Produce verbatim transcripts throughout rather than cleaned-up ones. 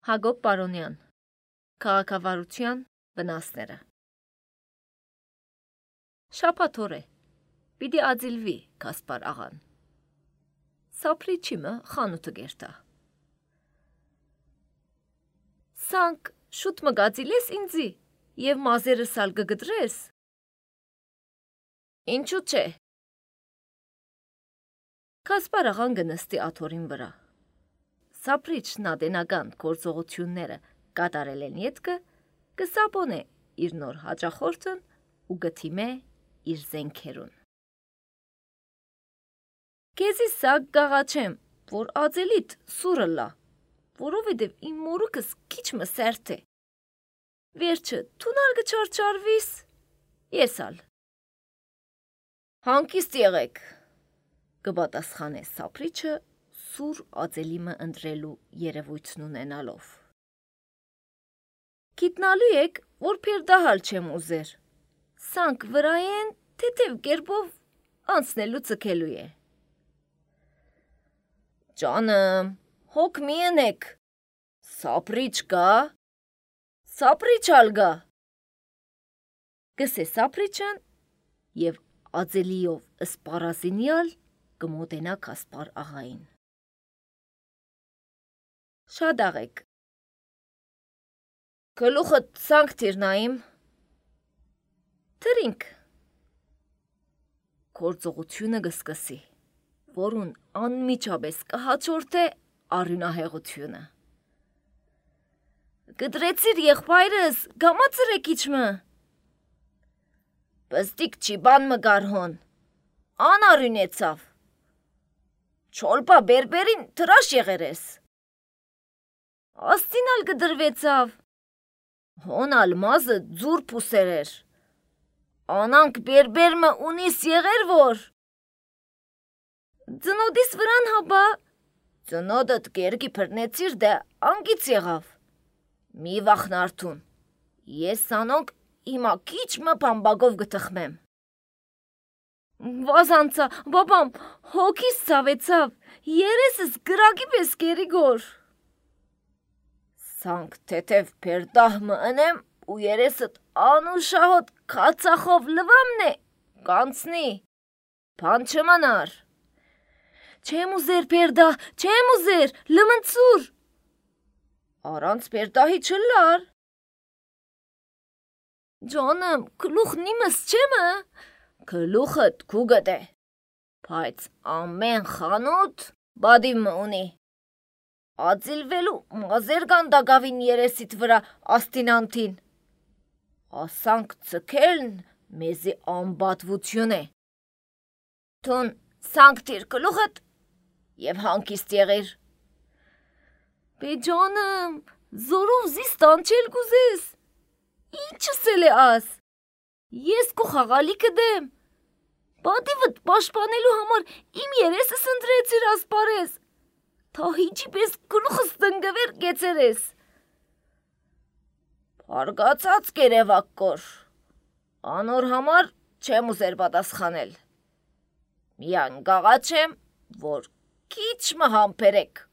Հակոբ Պարոնյան, Քաղաքավարության վնասները։ Շաբաթ օր է, պիտի ածիլվի Կասպար աղան։ Սափրի չիմը խանութը գերտա։ Սանք շուտ մգածիլես ինձի և մազերը սալ կգդրես։ Ինչու չէ։ Կասպար աղան գնստի աթորին վրա։ Սափրիչ նադենական գործողությունները կատարել են ետքը, կսապոն է իր նոր հաճախորդն ու գթիմե իր զենքերուն։ Կեզի սակ գաղաչեմ, որ ածելիտ սուրը լա, որովհետև իմ մորուկս քիչ մը սերտ է։ Վերջը թունալ գչարչարվիս, ես ալ։ Հանկիստ եղեք, կպատասխանե Սափրիչը սուր ածելիմը ընտրելու երևույթն ունենալով։ Գիտնալու եք, որ փերդահալ չեմ ուզեր։ Սանք վրայեն թեթև կերպով անցնելու ցկելու է։ Ջանım, հոգ մի ընեք։ Սափրիչ կա։ Սափրիչ ալ գա։ Գսե Սափրիչն և ածելիով ըսպարազինյալ կմոտենա Կասպար աղային։ Շատ աղեք։ Գլուխդ սանք թիրնայիմ։ Թրինք։ Գործողությունը կսկսի, որուն անմիջապես կհաջորդե արյունահեղությունը։ Գդրեցիր եղբայրս, գամացր եք իչմը։ Բստիկ չի բան մը գարհոն, ան արյունեցավ։ Չոլպա բերբերին թրաշ եղերես։ Աստինալ գդրվեցավ։ Հոնալ մազը ձուր պուսերեր։ Անանք բերբերմը ունիս եղեր որ։ Ձնոդիս վրան հաբա։ Ձնոդըտ կերգի պրնեցիր դե անգից եղավ։ Մի վախնարդուն, ես սանոնք իմա քիչ մը բամբագով գտխմեմ։ Վազանցա, բաբամ, հոգիս ցավեցավ, երեսս գրագի պես կերի գոր։ Սանք թեթև պերդահ մը ընեմ ու երեսըտ անուշահոտ կացախով լվամն է, կանցնի, բան չմանար։ Չեմ ուզեր պերդահ, չեմ ուզեր, լմնցուր։ Արանց պերդահի չլար։ Ջանım, գլուխն իմս չեմը։ Գլուխըտ քուգդ է, բայց ամեն խանութ բադիմ մը ունի։ Ածիլվելու մազեր կան դագավին երեսիտ վրա աստինանտին։ Ասանք ցկելն մեզի անբատվություն է։ Թուն սանք տիր գլուխըտ և հանկիստ եղիր։ Բեջանım, զորով զիս տանչել գուզես։ Ինչս էլ է աս։ Ես կու խաղալիքը դեմ։ Բադիվըտ պաշպանելու համար իմ երեսս ընտրեցիր ասպարես։ Թահիջի պես գլուխս տնգվեր գեցերես։ Պարգացած կերևակ կոր, անոր համար չեմ ուզեր պատասխանել։ Միան գաղաչեմ, որ քիչ մը համբերեք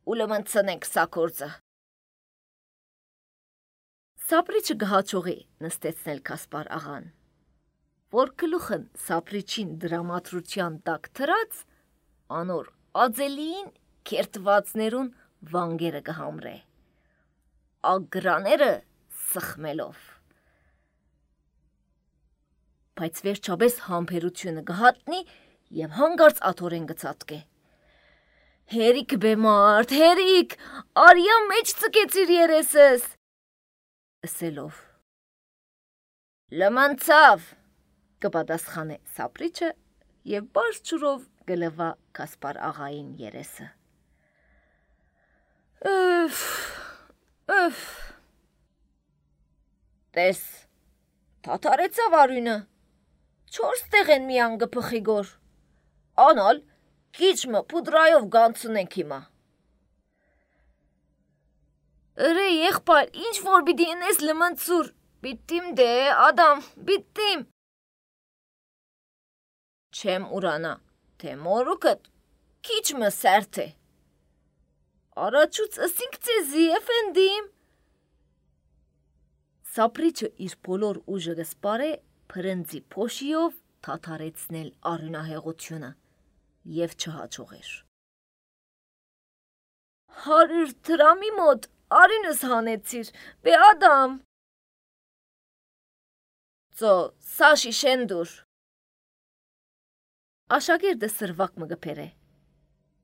ու լմնցնենք սա գործը։ Սափրիչը գհաչողի նստեցնել Կասպար աղան, որ գլուխն Սափրիչին դրամատրության տակ թրած, անոր ածելիին կերտվածներուն վանգերը կհամրե, ագրաները սխմելով։ Բայց վերջապես համբերությունը կհատնի և հանգարց աթորեն կծատկե։ Հերիք բեմարդ, հերիք, արյա մեջ ծկեցիր երեսս, ասելով։ Լմնցավ, կպատասխանե Սափրիչը և բարձ ջուրով կլվա Կասպար աղային երեսը։ Øf, øf։ Տես, թաթարեցավ արյունը, չորս տեղ են միան գպխի գոր, անալ քիչ մը պուդրայով գանցնենք հիմա։ Ըրե եղբայր, ինչ որ պիտի ընես լմնցուր, պիտիմ դե, ադամ, պիտիմ։ Չեմ ուրանա, թե մորուկըտ քիչ մը սերտ է։ Առաջուց ըսինք ձեզի, էֆենդիմ։ Սապրիչը իր բոլոր ուժը գսպարե փրնձի փոշիով թաթարեցնել արյունահեղությունը և չհաջողեր։ Հարյուր դրամի մոտ արյունս հանեցիր, բե ադամ։ Ծո, սա շիշենդուր։ Աշակերտը սրվակ մը գպեր է։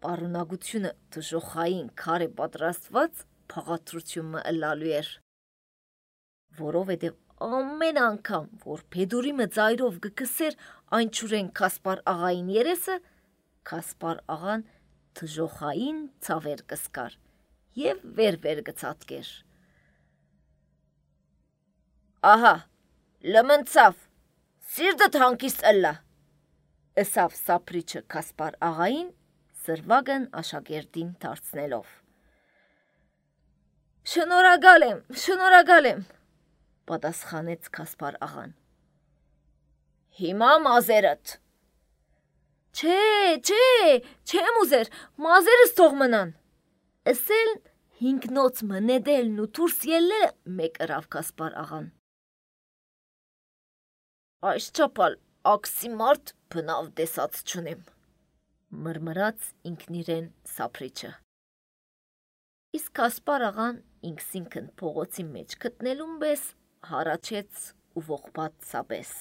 Պարունակությունը դժոխային քար է պատրաստված փաղադրություն մը ըլալու էր։ Որովհետև ամեն անգամ, որ Փեդուրիմը ծայրով գկսեր այն չուրեն Կասպար աղային երեսը, Կասպար աղան դժոխային ցավեր կսկար և վեր-վեր գծատկեր։ Ահա, լմնցավ, սիրտդ հանգիստ ըլլա, ըսավ Սապրիչը Կասպար աղային, սրվագն աշակերտին դարձնելով։ Շնորհակալ եմ, շնորհակալ եմ, պատասխանեց Կասպար աղան։ Հիմա մազերդ։ Չէ, չէ, չեմ ուզեր, մազերս թող մնան։ Ասել հինգնոց մնեդելն ու դուրս ելլելը մեկ ըրավ Կասպար աղան։ Այս չափալ աքսի մարդ բնավ դեսած չունեմ, մրմրաց ինքն իրեն Սապրիչը։ Իսկ Կասպար աղան ինքսինքն փողոցի մեջ գտնելուն պես հարաճեց ու ողբաց սաբես։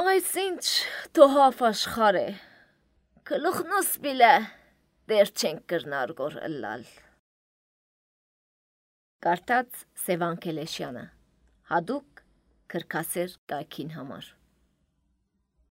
Այսինչ թոհաֆ աշխար է, գլուխնուս բիլը, դեր չենք կրնար գոր ըլլալ։ Կարդաց Սևան Քելեշյանը, հատուկ քրքասեր կայքին համար։